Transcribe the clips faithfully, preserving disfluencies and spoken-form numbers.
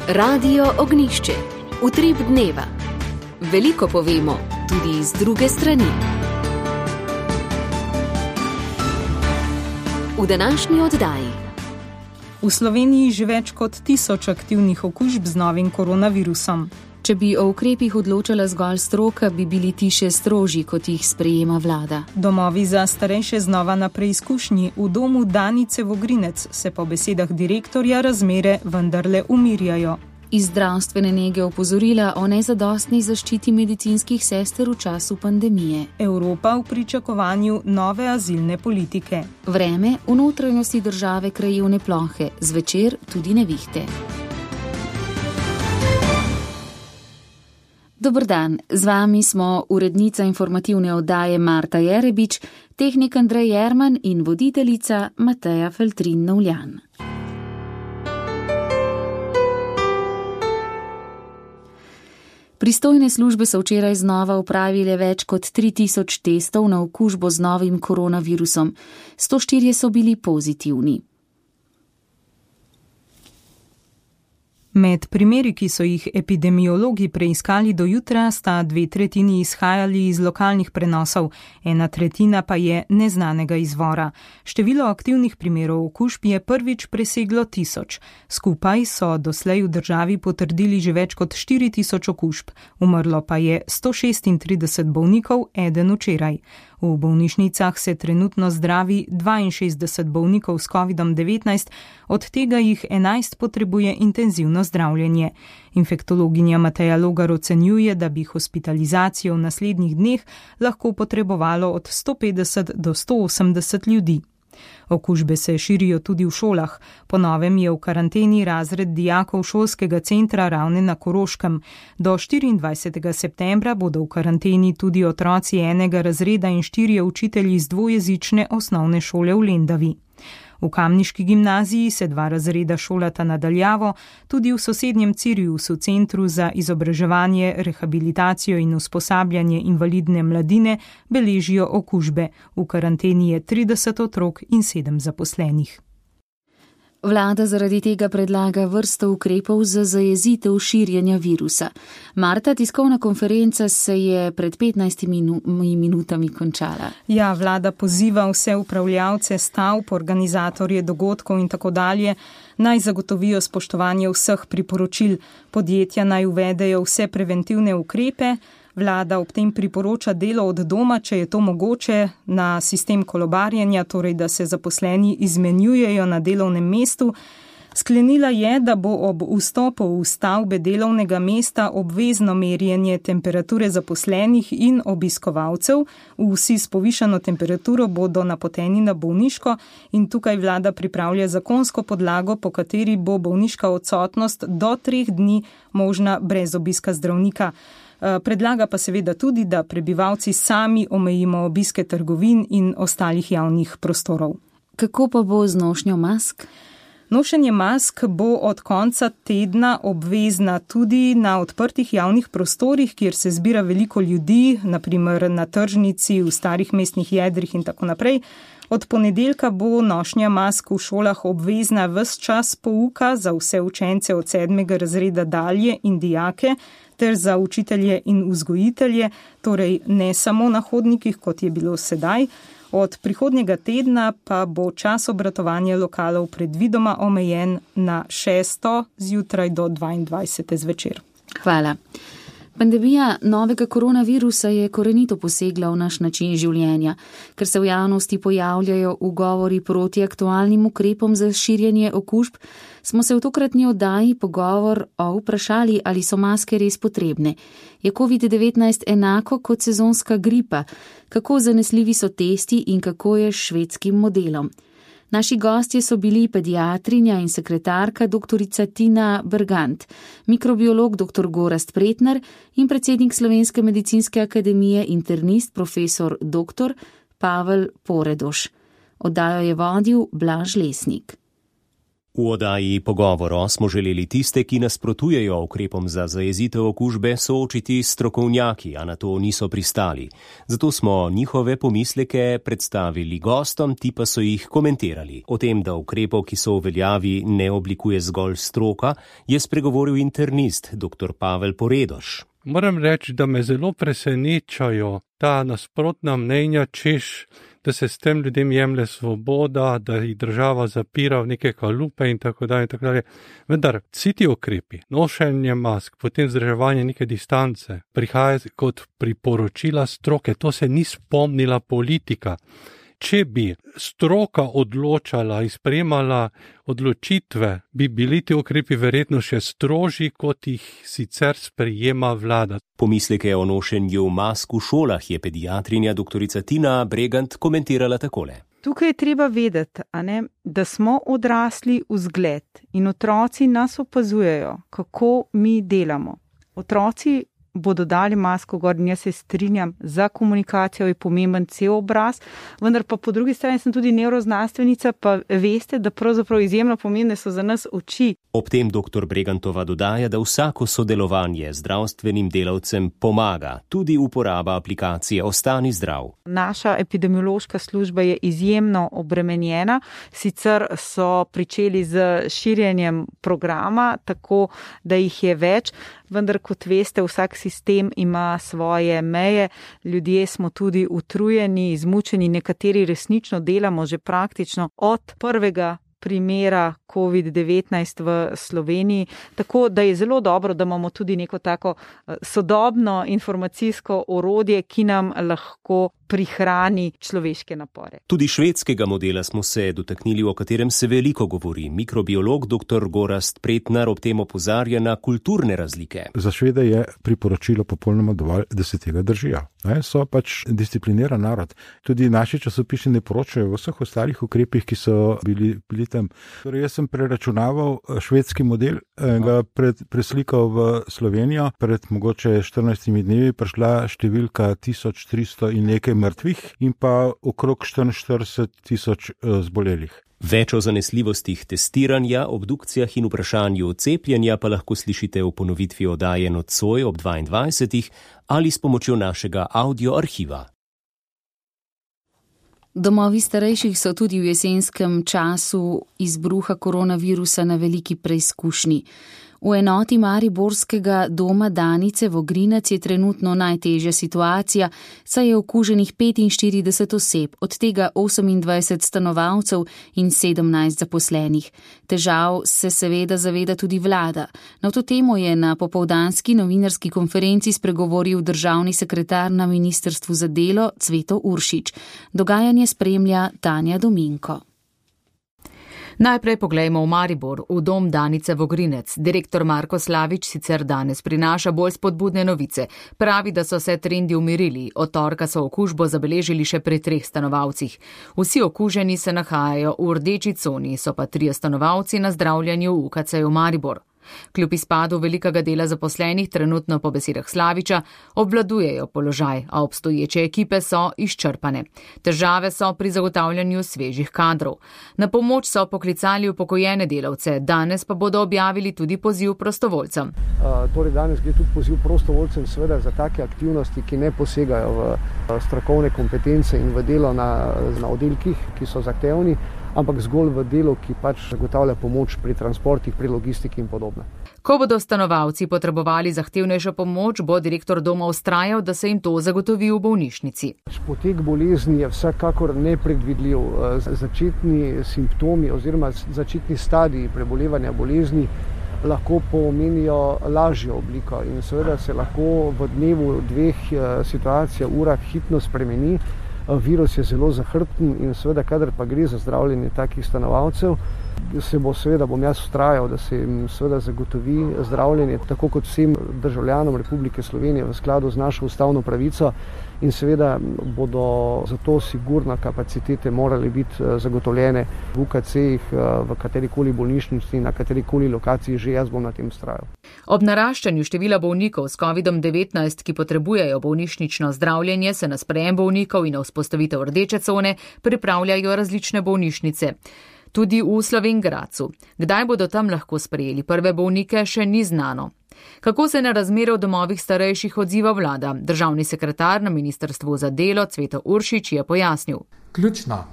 Radio Ognišče, utrip dneva. Veliko povemo, tudi z druge strani. V današnji oddaji. V Sloveniji že več kot tisoč aktivnih okužb z novim koronavirusom. Če bi o ukrepih odločala zgolj stroka, bi bili ti še strožji, kot jih sprejema vlada. Domovi za starejše znova na preizkušnji. V domu Danice Vogrinec se po besedah direktorja razmere vendarle umirjajo. Iz zdravstvene nege opozorila o nezadostni zaščiti medicinskih sester v času pandemije. Evropa v pričakovanju nove azilne politike. Vreme v notranjosti države krajevne plohe, zvečer tudi nevihte. Dober dan, z vami smo urednica informativne oddaje Marta Jerebič, tehnik Andrej Jerman in voditeljica Mateja Feltrin-Novljan. Pristojne službe so včeraj znova opravile več kot tri tisoč testov na okužbo z novim koronavirusom. sto štirje so bili pozitivni. Med primeri, ki so jih epidemiologi preiskali do jutra, sta dve tretjini izhajali iz lokalnih prenosov, ena tretjina pa je neznanega izvora. Število aktivnih primerov okužb je prvič preseglo tisoč. Skupaj so doslej v državi potrdili že več kot štiri tisoč okužb. Umrlo pa je sto šestintrideset bolnikov, eden včeraj. V bolnišnicah se trenutno zdravi dvainšestdeset bolnikov s kovidom devetnajst, od tega jih enajst potrebuje intenzivno zdravljenje. Infektologinja Mateja Logar ocenjuje, da bi hospitalizacijo v naslednjih dneh lahko potrebovalo od sto petdeset do sto osemdeset ljudi. Okužbe se širijo tudi v šolah. Po novem je v karanteni razred dijakov šolskega centra Ravne na Koroškem. Do štiriindvajsetega septembra bodo v karanteni tudi otroci enega razreda in štirje učitelji iz dvojezične osnovne šole v Lendavi. V kamniški gimnaziji se dva razreda šolata nadaljavo, tudi v sosednjem Ciriusu, centru za izobraževanje, rehabilitacijo in usposabljanje invalidne mladine, beležijo okužbe. V karanteni je trideset otrok in sedem zaposlenih. Vlada zaradi tega predlaga vrsto ukrepov za zajezitev širjenja virusa. Marta, tiskovna konferenca se je pred petnajstimi minutami končala. Ja, vlada poziva vse upravljavce stavb, organizatorje dogodkov in tako dalje, naj zagotovijo spoštovanje vseh priporočil. Podjetja naj uvedejo vse preventivne ukrepe. Vlada ob tem priporoča delo od doma, če je to mogoče, na sistem kolobarjenja, torej da se zaposleni izmenjujejo na delovnem mestu. Sklenila je, da bo ob vstopu v stavbe delovnega mesta obvezno merjenje temperature zaposlenih in obiskovalcev. Vsi s povišano temperaturo bodo napoteni na bolniško in tukaj vlada pripravlja zakonsko podlago, po kateri bo bolniška odsotnost do treh dni možna brez obiska zdravnika. Predlaga pa seveda tudi, da prebivalci sami omejimo obiske trgovin in ostalih javnih prostorov. Kako pa bo z nošnjo mask? Nošenje mask bo od konca tedna obvezna tudi na odprtih javnih prostorih, kjer se zbira veliko ljudi, naprimer na tržnici, v starih mestnih jedrih in tako naprej. Od ponedeljka bo nošnja mask v šolah obvezna ves čas pouka za vse učence od sedmega razreda dalje in dijake, ter za učitelje in vzgojitelje, torej ne samo na hodnikih, kot je bilo sedaj. Od prihodnjega tedna pa bo čas obratovanja lokalov predvidoma omejen na šesto zjutraj do dvaindvajsete zvečer. Hvala. Pandemija novega koronavirusa je korenito posegla v naš način življenja. Ker se v javnosti pojavljajo ugovori proti aktualnim ukrepom za širjenje okužb, smo se v tokratni oddaji pogovor o vprašali, ali so maske res potrebne. Je covid devetnajst enako kot sezonska gripa? Kako zanesljivi so testi in kako je s švedskim modelom? Naši gostje so bili pediatrinja in sekretarka doktorica Tina Bergant, mikrobiolog doktor Gorazd Pretnar in predsednik Slovenske medicinske akademije internist profesor doktor Pavel Poredoš. Oddajo je vodil Blaž Lesnik. V oddaji Pogovoro smo želeli tiste, ki nasprotujejo ukrepom za zajezitev okužbe, soočiti s strokovnjaki, a na to niso pristali. Zato smo njihove pomisleke predstavili gostom, ti pa so jih komentirali. O tem, da ukrepov, ki so v veljavi, ne oblikuje zgolj stroka, je spregovoril internist dr. Pavel Poredoš. Moram reči, da me zelo presenečajo ta nasprotna mnenja, češ, da se s tem ljudem jemlje svoboda, da jih država zapira v neke kalupe in tako dalje in tako dalje. Vendar vsi ti ukrepi, nošenje mask, potem vzdrževanje neke distance, prihaja kot priporočila stroke, to se ni spomnila politika. Če bi stroka odločala in sprejemala odločitve, bi bili ti ukrepi verjetno še strožji, kot jih sicer sprejema vlada. Pomisleke o nošenju mask v šolah je pediatrinja doktorica Tina Bregant komentirala takole. Tukaj je treba vedeti, a ne, da smo odrasli vzgled in otroci nas opazujejo, kako mi delamo. Otroci bodo dali masko gor in jaz se strinjam, za komunikacijo je pomemben cel obraz, vendar pa po drugi strani sem tudi nevroznanstvenica, pa veste, da pravzaprav izjemno pomembne so za nas oči. Ob tem doktor Bregantova dodaja, da vsako sodelovanje z zdravstvenim delavcem pomaga, tudi uporaba aplikacije Ostani zdrav. Naša epidemiološka služba je izjemno obremenjena, sicer so pričeli z širjenjem programa, tako da jih je več, vendar kot veste, vsak sistem ima svoje meje, ljudje smo tudi utrujeni, izmučeni, nekateri resnično delamo že praktično od prvega primera covid devetnajst v Sloveniji, tako da je zelo dobro, da imamo tudi neko tako sodobno informacijsko orodje, ki nam lahko prihrani človeške napore. Tudi švedskega modela smo se dotaknili, o katerem se veliko govori. Mikrobiolog dr. Gorazd Pretnar ob tem opozarja na kulturne razlike. Za Švede je priporočilo popolnoma dovolj, da se tega držijo. Ne, so pač discipliniran narod. Tudi naši časopisi ne poročajo v vseh ostalih ukrepih, ki so bili, bili tam. Torej, jaz sem preračunaval švedski model, ga pred, preslikal v Slovenijo, pred mogoče štirinajstimi dnevi prišla številka tisoč tristo in nekaj mrtvih in pa okrog štiriinštirideset tisoč zbolelih. Več o zanesljivostih testiranja, obdukcijah in vprašanju cepljenja pa lahko slišite v ponovitvi oddaje Nocoj ob dvaindvajsetih ali s pomočjo našega audioarhiva. Domovi starejših so tudi v jesenskem času izbruha koronavirusa na veliki preizkušnji. V enoti mariborskega doma Danice Vogrinec je trenutno najtežja situacija, saj je okuženih petinštirideset oseb, od tega osemindvajset stanovalcev in sedemnajst zaposlenih. Težav se seveda zaveda tudi vlada. Na to temo je na popoldanski novinarski konferenci spregovoril državni sekretar na Ministrstvu za delo Cveto Uršič. Dogajanje spremlja Tanja Dominko. Najprej poglejmo v Maribor, v dom Danice Vogrinec. Direktor Marko Slavič sicer danes prinaša bolj spodbudne novice. Pravi, da so se trendi umirili. Od torka so okužbo zabeležili še pri treh stanovalcih. Vsi okuženi se nahajajo v rdeči coni, so pa trije stanovalci na zdravljenju v U K C-ju Maribor. Kljub izpadu velikega dela zaposlenih trenutno po besedah Slaviča obvladujejo položaj, a obstoječe ekipe so izčrpane. Težave so pri zagotavljanju svežih kadrov. Na pomoč so poklicali upokojene delavce, danes pa bodo objavili tudi poziv prostovoljcem. Uh, torej danes gre tudi poziv prostovoljcem seveda za take aktivnosti, ki ne posegajo v strokovne kompetence in v delo na, na oddelkih, ki so zahtevni, ampak zgolj v delu, ki pač zagotavlja pomoč pri transportih, pri logistiki in podobno. Ko bodo stanovalci potrebovali zahtevnejšo pomoč, bo direktor doma vztrajal, da se jim to zagotovi v bolnišnici. Potek bolezni je vsekakor nepredvidljiv. Začetni simptomi oziroma začetni stadiji prebolevanja bolezni lahko pomenijo lažjo obliko in seveda se lahko v dnevu dveh situacija, urah hitno spremeni. Virus je zelo zahrbten in seveda, kadar pa gre za zdravljenje takih stanovalcev, se bo seveda, bom jaz vztrajal, da se jim seveda zagotovi zdravljenje, tako kot vsem državljanom Republike Slovenije v skladu z našo ustavno pravico in seveda bodo zato sigurno kapacitete morali biti zagotovljene v U K C-jih, v katerikoli bolnišnici, na katerikoli lokaciji, že jaz bom na tem vztrajal. Ob naraščanju števila bolnikov s kovidom devetnajst, ki potrebujejo bolnišnično zdravljenje, se na sprejem bolnikov in na vzpostavitev rdeče cone pripravljajo različne bolnišnice. Tudi v Slovenj Gradcu. Kdaj bodo tam lahko sprejeli prve bolnike, še ni znano. Kako se na razmere v domovih starejših odziva vlada? Državni sekretar na Ministrstvu za delo Cveto Uršič je pojasnil. Ključno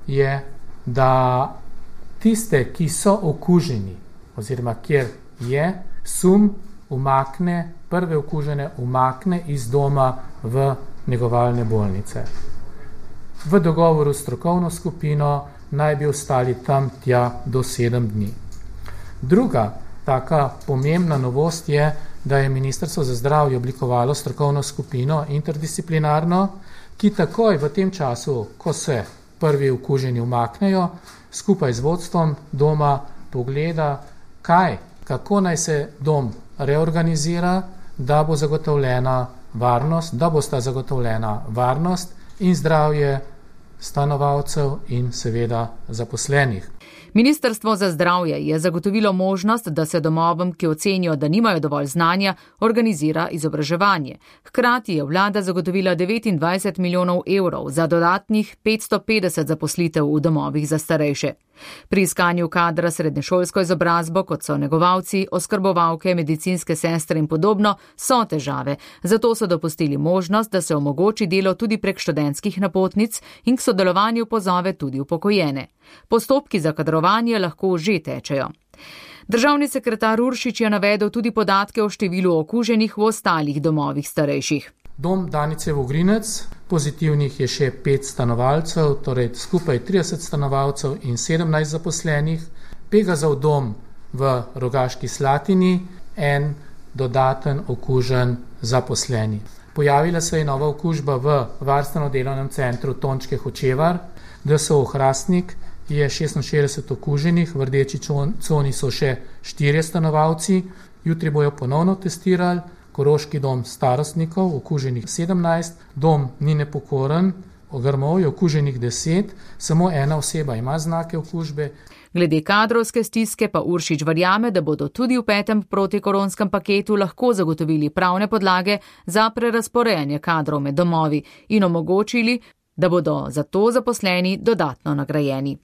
je, da tiste, ki so okuženi oziroma kjer je sum, umakne, prve okužene umakne iz doma v negovalne bolnice. V dogovoru s strokovno skupino naj bi ostali tam tja do sedem dni. Druga taka pomembna novost je, da je Ministrstvo za zdravje oblikovalo strokovno skupino interdisciplinarno, ki takoj v tem času, ko se prvi okuženi umaknejo, skupaj z vodstvom doma pogleda, kaj, kako naj se dom reorganizira, da bo zagotovljena varnost, da bo sta zagotovljena varnost in zdravje stanovalcev in seveda zaposlenih. Ministrstvo za zdravje je zagotovilo možnost, da se domovom, ki ocenijo, da nimajo dovolj znanja, organizira izobraževanje. Hkrati je vlada zagotovila devetindvajset milijonov evrov za dodatnih petsto petdeset zaposlitev v domovih za starejše. Pri iskanju kadra srednješolsko izobrazbo, kot so negovalci, oskrbovalke, medicinske sestre in podobno, so težave. Zato so dopustili možnost, da se omogoči delo tudi prek študentskih napotnic in k sodelovanju pozove tudi upokojene. Postopki za kadrovanje lahko že tečejo. Državni sekretar Uršič je navedel tudi podatke o številu okuženih v ostalih domovih starejših. Dom Danice Vogrinec, pozitivnih je še pet stanovalcev, torej skupaj trideset stanovalcev in sedemnajst zaposlenih. Pegazov dom v Rogaški Slatini, en dodaten okužen zaposleni. Pojavila se je nova okužba v varstveno-delovnem centru Tončke Hočevar, D S O Hrastnik je šestinšestdeset okuženih, v rdeči coni so še štirje stanovalci, jutri bojo ponovno testirali. Koroški dom starostnikov, okuženih sedemnajst, dom ni nepokoren, Grmov je okuženih deset, samo ena oseba ima znake okužbe. Glede kadrovske stiske pa Uršič verjame, da bodo tudi v petem protikoronskem paketu lahko zagotovili pravne podlage za prerazporejanje kadrov med domovi in omogočili, da bodo za to zaposleni dodatno nagrajeni.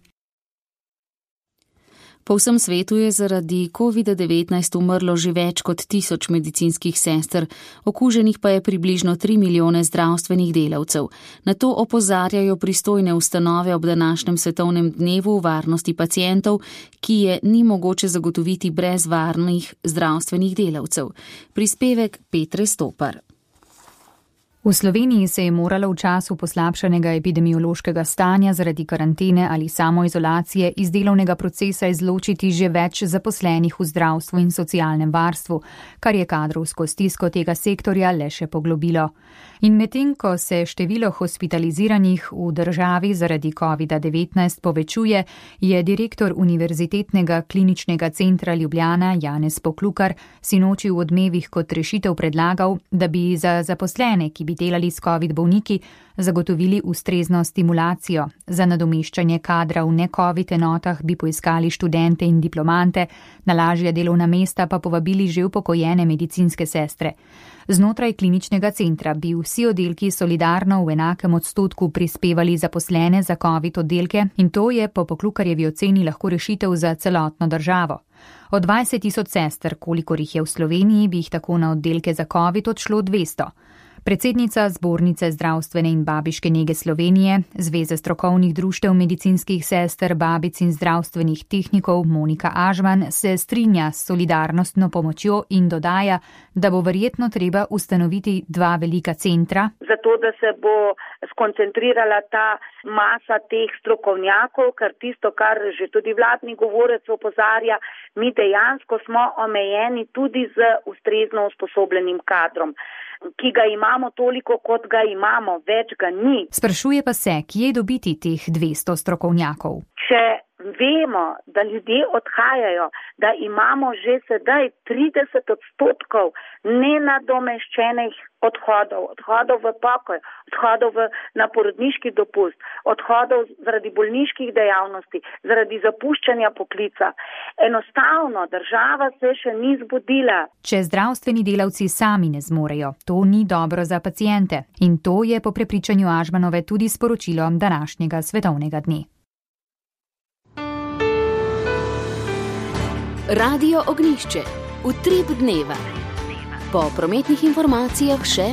Po vsem svetu je zaradi covid devetnajst umrlo že več kot tisoč medicinskih sester, okuženih pa je približno tri milijone zdravstvenih delavcev. Na to opozarjajo pristojne ustanove ob današnjem svetovnem dnevu varnosti pacientov, ki je ni mogoče zagotoviti brez varnih zdravstvenih delavcev. Prispevek Petre Stopar. V Sloveniji se je moralo v času poslabšanega epidemiološkega stanja zaradi karantene ali samoizolacije iz delovnega procesa izločiti že več zaposlenih v zdravstvu in socialnem varstvu, kar je kadrovsko stisko tega sektorja le še poglobilo. In medtem, ko se število hospitaliziranih v državi zaradi covid devetnajst povečuje, je direktor Univerzitetnega kliničnega centra Ljubljana Janez Poklukar sinoči v Odmevih kot rešitev predlagal, da bi za zaposlene, ki bi delali s covid bolniki, zagotovili ustrezno stimulacijo. Za nadomeščanje kadra v ne-covid enotah bi poiskali študente in diplomante, na lažja delovna mesta pa povabili že upokojene medicinske sestre. Znotraj kliničnega centra bi vsi oddelki solidarno v enakem odstotku prispevali zaposlene za covid oddelke in to je po Poklukarjevi oceni lahko rešitev za celotno državo. Od dvajset tisoč sester, kolikor jih je v Sloveniji, bi jih tako na oddelke za covid odšlo dvesto. Predsednica Zbornice zdravstvene in babiške nege Slovenije, Zveze strokovnih društev medicinskih sester, babic in zdravstvenih tehnikov Monika Ažman se strinja s solidarnostno pomočjo in dodaja, da bo verjetno treba ustanoviti dva velika centra. Zato, da se bo skoncentrirala ta masa teh strokovnjakov, ker tisto, kar že tudi vladni govorec opozarja, mi dejansko smo omejeni tudi z ustrezno usposobljenim kadrom, ki ga imamo toliko, kot ga imamo, več ga ni. Sprašuje pa se, kje dobiti teh dvesto strokovnjakov. Če vemo, da ljudje odhajajo, da imamo že sedaj trideset odstotkov nenadomeščenih odhodov, odhodov v pokoj, odhodov v, na porodniški dopust, odhodov zaradi bolniških dejavnosti, zaradi zapuščanja poklica. Enostavno država se še ni zbudila. Če zdravstveni delavci sami ne zmorejo, to ni dobro za paciente. In to je po prepričanju Ažmanove tudi sporočilo današnjega svetovnega dne. Radio Ognjišče. Utrip dneva. Po prometnih informacijah še: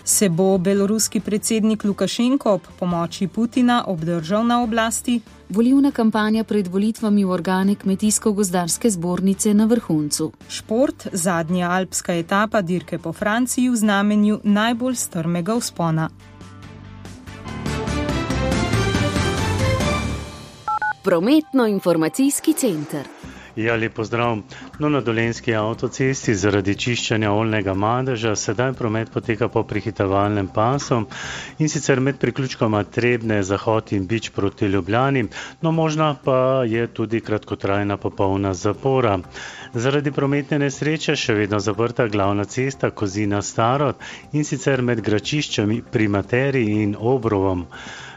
se bo beloruski predsednik Lukašenko ob pomoči Putina obdržal na oblasti? Volilna kampanja pred volitvami v organe Kmetijsko-gozdarske zbornice na vrhuncu. Šport, zadnja alpska etapa dirke po Franciji v znamenju najbolj strmega vzpona. Prometno-informacijski center. Ja, lep pozdrav. No, na Dolenjski avtocesti zaradi čiščenja oljnega madeža sedaj promet poteka po prehitevalnem pasu in sicer med priključkoma Trebnje, Zahod in Bič proti Ljubljani, no možna pa je tudi kratkotrajna popolna zapora. Zaradi prometne nesreče še vedno zaprta glavna cesta Kozina-Starod in sicer med Gračiščami pri Materiji in Obrovom.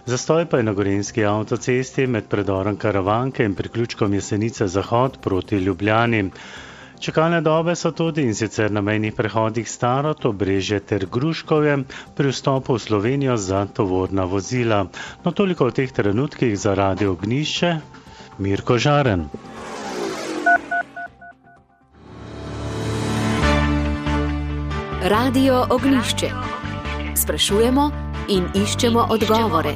Zastoj pa je na Gorenjski avtocesti med predorom Karavanke in priključkom Jesenice Zahod proti Ljubljani. Čakalne dobe so tudi in sicer na mejnih prehodih Starod, Obrežje ter Gruškovje pri vstopu v Slovenijo za tovorna vozila. No, toliko v teh trenutkih za Radio Ognjišče. Mirko Žaren. Radio Ognjišče. Sprašujemo in iščemo odgovore.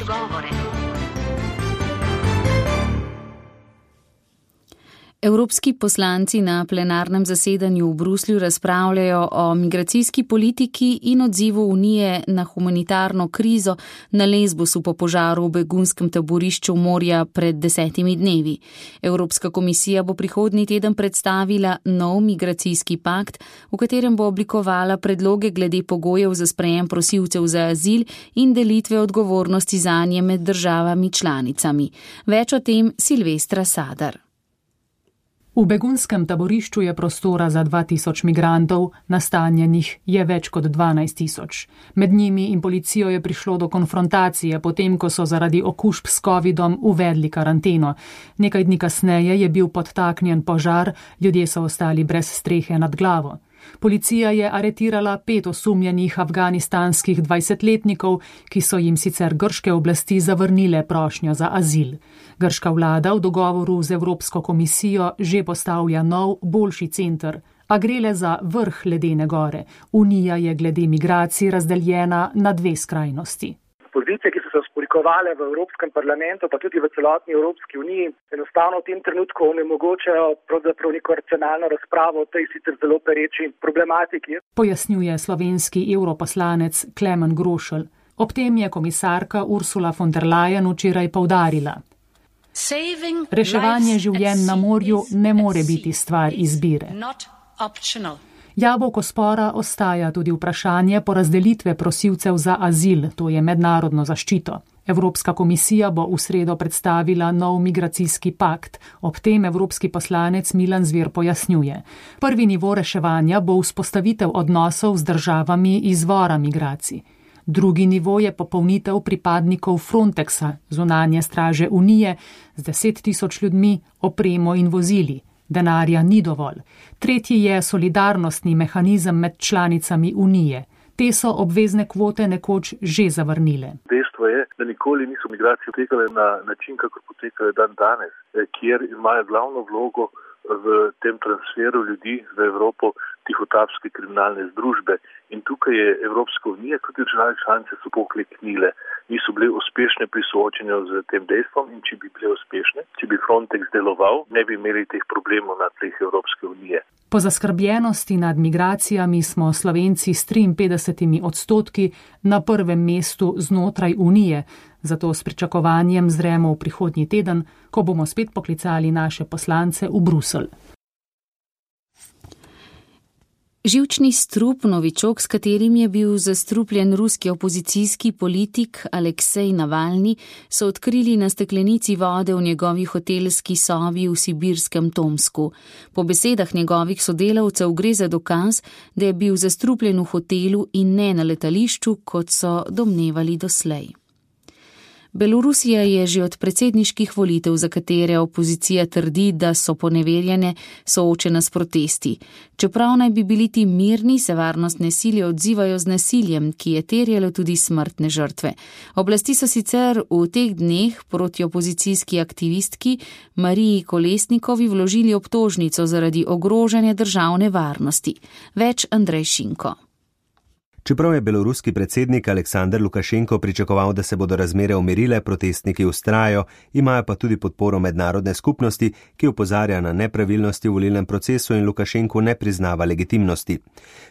Evropski poslanci na plenarnem zasedanju v Bruslju razpravljajo o migracijski politiki in odzivu Unije na humanitarno krizo na Lesbosu po požaru v begunskem taborišču morja pred desetimi dnevi. Evropska komisija bo prihodnji teden predstavila nov migracijski pakt, v katerem bo oblikovala predloge glede pogojev za sprejem prosilcev za azil in delitve odgovornosti zanje med državami članicami. Več o tem Silvestra Sadar. V begunskem taborišču je prostora za dva tisoč migrantov, nastanjenih je več kot dvanajst tisoč. Med njimi in policijo je prišlo do konfrontacije, potem ko so zaradi okužb s covidom uvedli karanteno. Nekaj dni kasneje je bil podtaknjen požar, ljudje so ostali brez strehe nad glavo. Policija je aretirala pet osumljenih afganistanskih dvajsetletnikov, ki so jim sicer grške oblasti zavrnile prošnjo za azil. Grška vlada v dogovoru z Evropsko komisijo že postavlja nov, boljši center, a gre le za vrh ledene gore. Unija je glede migracij razdeljena na dve skrajnosti. Pozicije, ki so se vzpolikovale v Evropskem parlamentu, pa tudi v celotni Evropski uniji, enostavno v tem trenutku onemogočajo pravzaprav neko racionalno razpravo o tej sicer zelo pereči problematiki. Pojasnjuje slovenski europoslanec Klemen Grošelj. Ob tem je komisarka Ursula von der Leyen včeraj poudarila: reševanje življenj na morju ne more biti stvar izbire. Jabolko spora ostaja tudi vprašanje porazdelitve prosilcev za azil, to je mednarodno zaščito. Evropska komisija bo v sredo predstavila nov migracijski pakt. Ob tem evropski poslanec Milan Zver pojasnjuje: prvi nivo reševanja bo vzpostavitev odnosov z državami izvora migracij. Drugi nivo je popolnitev pripadnikov Frontexa, zunanje straže Unije, z deset tisoč ljudmi, opremo in vozili. Denarja ni dovolj. Tretji je solidarnostni mehanizem med članicami Unije. Te so obvezne kvote nekoč že zavrnile. Dejstvo je, da nikoli niso migracije potekale na način, kako potekajo dan danes, kjer imajo glavno vlogo v tem transferu ljudi v Evropo tihotapske kriminalne združbe. In tukaj je Evropska unija, tudi države članice so pokleknile, niso bile uspešne pri soočenju z tem dejstvom in če bi bile uspešne, če bi Frontex deloval, ne bi imeli teh problemov na tleh Evropske unije. Po zaskrbljenosti nad migracijami smo Slovenci s triinpetdesetimi odstotki na prvem mestu znotraj Unije, zato s pričakovanjem zremo v prihodnji teden, ko bomo spet poklicali naše poslance v Bruselj. Živčni strup, novičok, s katerim je bil zastrupljen ruski opozicijski politik Aleksej Navalni, so odkrili na steklenici vode v njegovi hotelski sobi v sibirskem Tomsku. Po besedah njegovih sodelavcev gre za dokaz, da je bil zastrupljen v hotelu in ne na letališču, kot so domnevali doslej. Belorusija je že od predsedniških volitev, za katere opozicija trdi, da so poneverjene, soočena s protesti. Čeprav naj bi bili ti mirni, se varnostne sile odzivajo z nasiljem, ki je terjalo tudi smrtne žrtve. Oblasti so sicer v teh dneh proti opozicijski aktivistki Mariji Kolesnikovi vložili obtožnico zaradi ogrožanja državne varnosti. Več Andrej Šinko. Čeprav je beloruski predsednik Aleksandar Lukašenko pričakoval, da se bodo razmere umirile, protestniki vztrajajo, imajo pa tudi podporo mednarodne skupnosti, ki opozarja na nepravilnosti v volilnem procesu in Lukašenku ne priznava legitimnosti.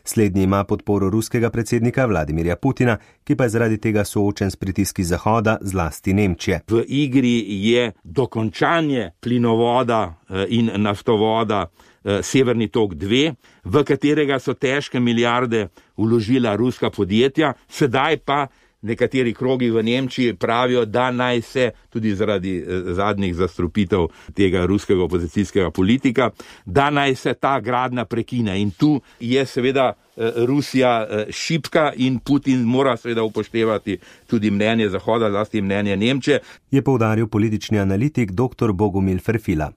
Slednji ima podporo ruskega predsednika Vladimirja Putina, ki pa je zaradi tega soočen s pritiski Zahoda, zlasti Nemčije. V igri je dokončanje plinovoda in naftovoda Severni tok dva, v katerega so težke milijarde vložila ruska podjetja, sedaj pa nekateri krogi v Nemčiji pravijo, da naj se tudi zaradi zadnjih zastrupitev tega ruskega opozicijskega politika, da naj se ta gradnja prekine. In tu je seveda Rusija šibka in Putin mora seveda upoštevati tudi mnenje Zahoda, zlasti mnenje Nemčije. Je poudaril politični analitik dr. Bogumil Ferfila.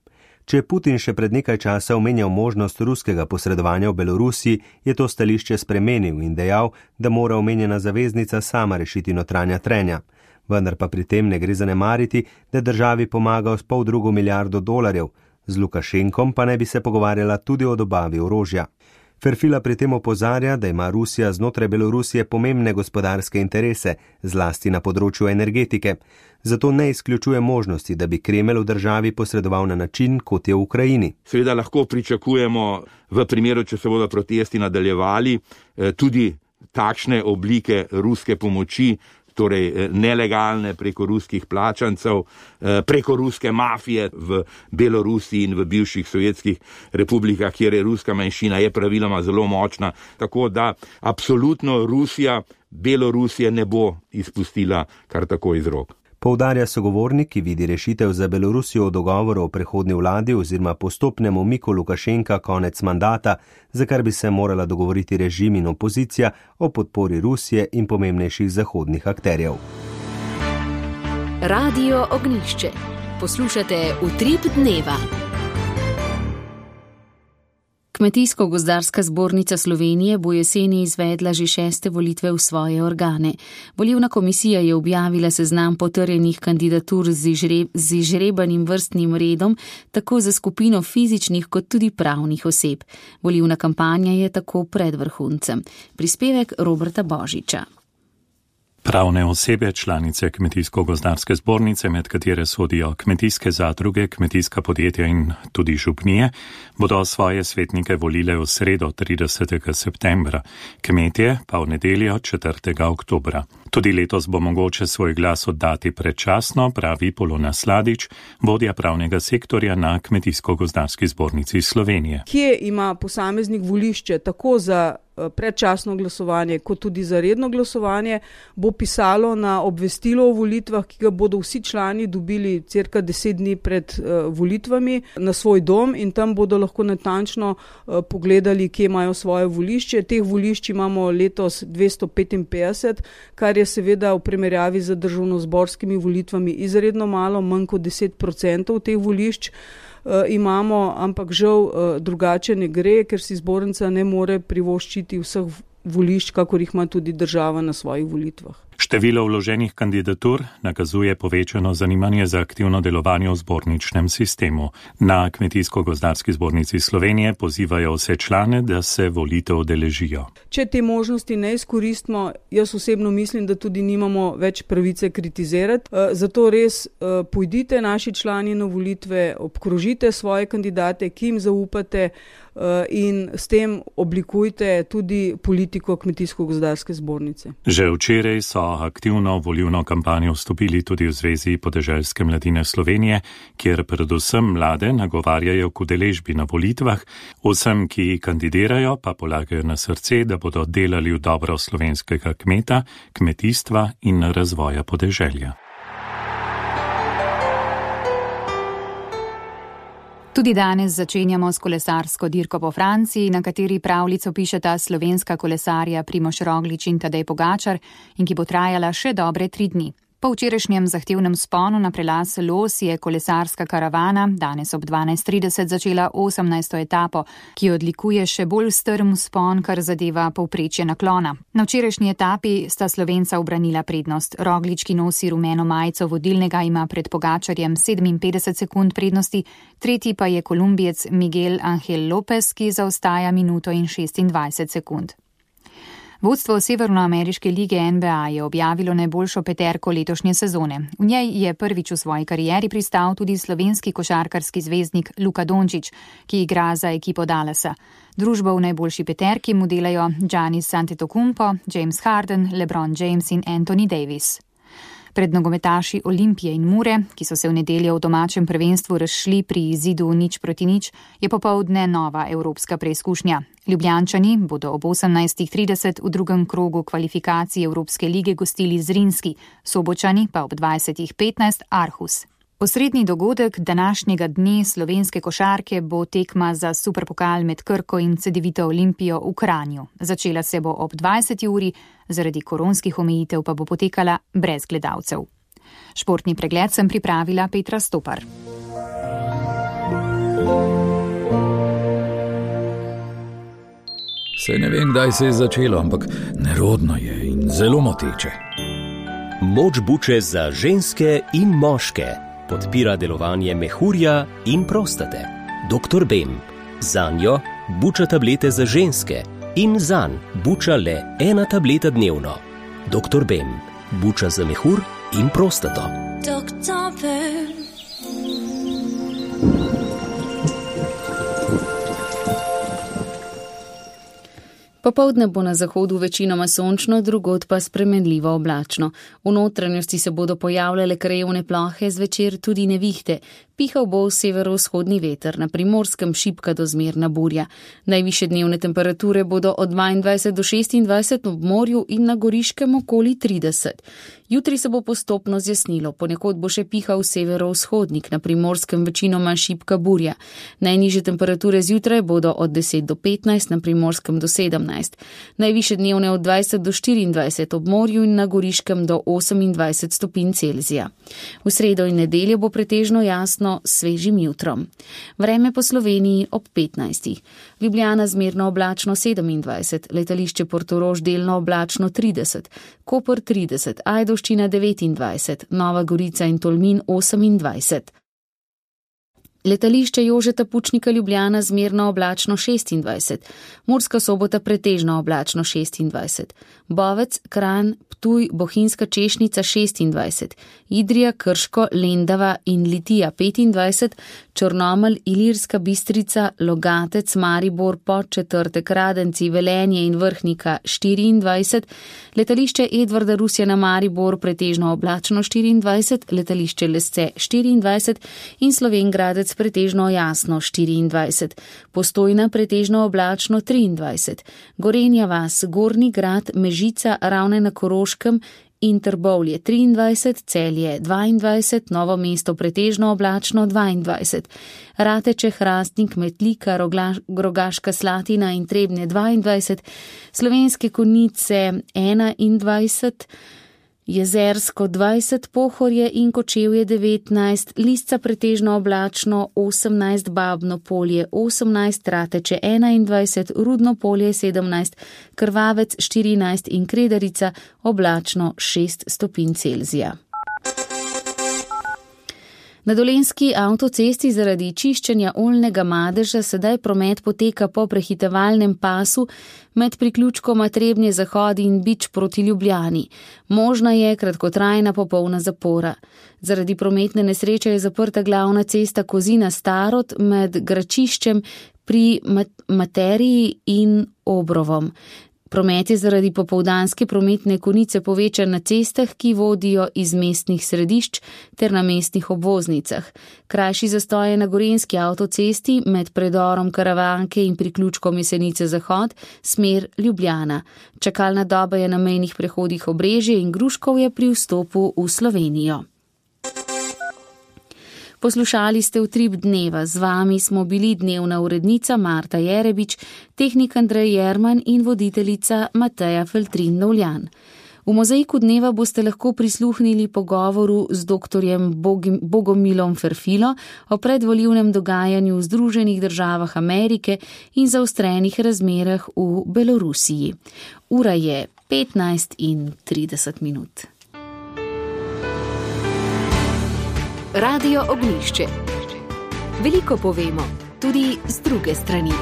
Če je Putin še pred nekaj časa omenjal možnost ruskega posredovanja v Belorusiji, je to stališče spremenil in dejal, da mora omenjena zaveznica sama rešiti notranja trenja. Vendar pa pri tem ne gre zanemariti, da državi pomagal s pol drugo milijardo dolarjev, z Lukašenkom pa naj bi se pogovarjala tudi o dobavi orožja. Ferfila pri tem opozarja, da ima Rusija znotraj Belorusije pomembne gospodarske interese, zlasti na področju energetike. Zato ne izključuje možnosti, da bi Kremelj v državi posredoval na način, kot je v Ukrajini. Seveda lahko pričakujemo v primeru, če se bodo protesti nadaljevali, tudi takšne oblike ruske pomoči, torej nelegalne preko ruskih plačancev, preko ruske mafije v Belorusiji in v bivših sovjetskih republikah, kjer je ruska manjšina, je praviloma zelo močna. Tako da absolutno Rusija Belorusije ne bo izpustila kar tako iz rok. Poudarja sogovornik, ki vidi rešitev za Belorusijo v dogovoru o prehodni vladi oziroma postopnem umiku Lukašenka konec mandata, za kar bi se morala dogovoriti režim in opozicija o podpori Rusije in pomembnejših zahodnih akterjev. Radio Ognjišče. Poslušate Utrip dneva. Kmetijsko-gozdarska zbornica Slovenije bo jeseni izvedla že šeste volitve v svoje organe. Volilna komisija je objavila seznam potrjenih kandidatur z, izžre, z izžrebanim vrstnim redom, tako za skupino fizičnih kot tudi pravnih oseb. Volilna kampanja je tako pred vrhuncem. Prispevek Roberta Božiča. Pravne osebe, članice Kmetijsko-gozdarske zbornice, med katere sodijo kmetijske zadruge, kmetijska podjetja in tudi župnije, bodo svoje svetnike volile v sredo tridesetega septembra, kmetje pa v nedeljo četrtega oktobra. Tudi letos bo mogoče svoj glas oddati predčasno, pravi Polona Sladič, vodja pravnega sektorja na Kmetijsko-gozdarski zbornici Slovenije. Kje ima posameznik volišče tako za predčasno glasovanje, kot tudi za redno glasovanje, bo pisalo na obvestilo o volitvah, ki ga bodo vsi člani dobili cirka deset dni pred uh, volitvami na svoj dom in tam bodo lahko natančno uh, pogledali, kje imajo svoje volišče. Teh volišč imamo letos dvesto petinpetdeset, kar je seveda v primerjavi z državnozborskimi volitvami izredno malo, manj kot deset procentov teh volišč. Uh, imamo, ampak žal uh, drugače ne gre, ker si zbornica ne more privoščiti vseh volišč, kakor jih ima tudi država na svojih volitvah. Število vloženih kandidatur nakazuje povečano zanimanje za aktivno delovanje v zborničnem sistemu. Na Kmetijsko-gozdarski zbornici Slovenije pozivajo vse člane, da se volitev udeležijo. Če te možnosti ne izkoristimo, jaz osebno mislim, da tudi nimamo več pravice kritizirati. Zato res pojdite naši člani na volitve, obkrožite svoje kandidate, ki jim zaupate in s tem oblikujte tudi politiko Kmetijsko-gozdarske zbornice. Že včeraj so aktivno volilno kampanjo vstopili tudi v Zvezi podeželske mladine Slovenije, kjer predvsem mlade nagovarjajo k udeležbi na volitvah, vsem, ki kandidirajo, pa polagajo na srce, da bodo delali v dobro slovenskega kmeta, kmetijstva in razvoja podeželja. Tudi danes začenjamo s kolesarsko dirko po Franciji, na kateri pravljico pišeta slovenska kolesarja Primož Roglič in Tadej Pogačar in ki bo trajala še dobre tri dni. Po včerajšnjem zahtevnem sponu na prelaz Los je kolesarska karavana danes ob dvanajst trideset začela osemnajsto etapo, ki odlikuje še bolj strm spon, kar zadeva povprečje naklona. Na včerajšnji etapi sta Slovenca ubranila prednost. Roglič, ki nosi rumeno majico vodilnega, ima pred Pogačarjem sedeminpetdeset sekund prednosti, tretji pa je Kolumbijec Miguel Angel Lopez, ki zaostaja minuto in šestindvajset sekund. Vodstvo Severnoameriške lige N B A je objavilo najboljšo peterko letošnje sezone. V njej je prvič v svoji karieri pristal tudi slovenski košarkarski zvezdnik Luka Dončić, ki igra za ekipo Dallasa. Družbo v najboljši peterki mu delajo Giannis Antetokounmpo, James Harden, LeBron James in Anthony Davis. Pred nogometaši Olimpije in Mure, ki so se v nedeljo v domačem prvenstvu razšli pri izidu nič proti nič, je popoldne nova evropska preizkušnja. Ljubljančani bodo ob osemnajst trideset v drugem krogu kvalifikacij Evropske lige gostili Zrinski, Sobočani pa ob dvajset petnajst Aarhus. Osrednji dogodek današnjega dne slovenske košarke bo tekma za superpokal med Krko in Cedevito Olimpijo v Kranju. Začela se bo ob dvajseti uri, zaradi koronskih omejitev pa bo potekala brez gledalcev. Športni pregled sem pripravila Petra Stopar. Saj ne vem, kdaj se je začelo, ampak nerodno je in zelo moteče. Moč buče za ženske in moške. Podpira delovanje mehurja in prostate. doktor Bem. Zanjo buča tablete za ženske in zanj buča le ena tableta dnevno. doktor Bem. Buča za mehur in prostato. doktor Bem. Popoldne bo na zahodu večinoma sončno, drugod pa spremenljivo oblačno. V notranjosti se bodo pojavljale krajevne plohe, zvečer tudi nevihte. Pihal bo severovzhodni veter, na Primorskem šibka do zmerna burja. Najvišje dnevne temperature bodo od dvaindvajset do šestindvajset ob morju in na Goriškem okoli trideset. Jutri se bo postopno zjasnilo, ponekod bo še pihal severovzhodnik, na Primorskem večinoma šibka burja. Najnižje temperature zjutraj bodo od deset do petnajst, na Primorskem do sedemnajst. Najvišje dnevne od dvajset do štiriindvajset ob morju in na Goriškem do osemindvajset stopinj Celzija. V sredo in nedeljo bo pretežno jasno s svežim jutrom. Vreme po Sloveniji ob petnajstih. Ljubljana zmerno oblačno sedemindvajset, letališče Portorož delno oblačno trideset, Koper trideset, Ajdovščina devetindvajset, Nova Gorica in Tolmin osemindvajset. Letališče Jožeta Pučnika Ljubljana zmerno oblačno šestindvajset, Murska Sobota pretežno oblačno šestindvajset, Bovec, Kranj, Ptuj, Bohinjska Češnica šestindvajset, Idrija, Krško, Lendava in Litija petindvajset, Črnomelj, Ilirska Bistrica, Logatec, Maribor, Podčetrtek, Radenci, Velenje in Vrhnika štiriindvajset, letališče Edvarda Rusjana Maribor pretežno oblačno štiriindvajset, letališče Lesce štiriindvajset in Slovenjgradec pretežno jasno štiriindvajset, Postojna pretežno oblačno triindvajset, Gorenja vas, Gornji Grad, Mežica, Ravne na Koroškem in Trbovlje triindvajset, Celje dvaindvajset, Novo mesto pretežno oblačno dvaindvajset, Rateče, Hrastnik, Metlika, Rogaška Slatina in Trebnje dvaindvajset, Slovenske Konjice enaindvajset, Jezersko dvajset, Pohorje in Kočevje devetnajst, Lisca pretežno oblačno osemnajst, Babno Polje osemnajst, Rateče enaindvajset, Rudno Polje sedemnajst, Krvavec štirinajst in Kredarica oblačno šest stopinj Celzija. Na Dolenjski avtocesti zaradi čiščenja oljnega madeža sedaj promet poteka po prehitevalnem pasu med priključkoma Trebnje Zahod in Bič proti Ljubljani. Možna je kratkotrajna popolna zapora. Zaradi prometne nesreče je zaprta glavna cesta Kozina Starod med Gračiščem pri Materiji in Obrovom. Promet je zaradi popoldanske prometne konice povečan na cestah, ki vodijo iz mestnih središč ter na mestnih obvoznicah. Krajši zastoj je na Gorenjski avtocesti med predorom Karavanke in priključkom Jesenice Zahod, smer Ljubljana. Čakalna doba je na mejnih prehodih Obrežje in Gruškovje pri vstopu v Slovenijo. Poslušali ste Utrip dneva, z vami smo bili dnevna urednica Marta Jerebič, tehnik Andrej Jerman in voditeljica Mateja Feltrin Novljan. V Mozaiku dneva boste lahko prisluhnili pogovoru z doktorjem Bogomilom Ferfilo o predvolilnem dogajanju v Združenih državah Amerike in zaostrenih razmerah v Belorusiji. Ura je petnajst in trideset minut. Radio Ognjišče. Veliko povemo, tudi z druge strani.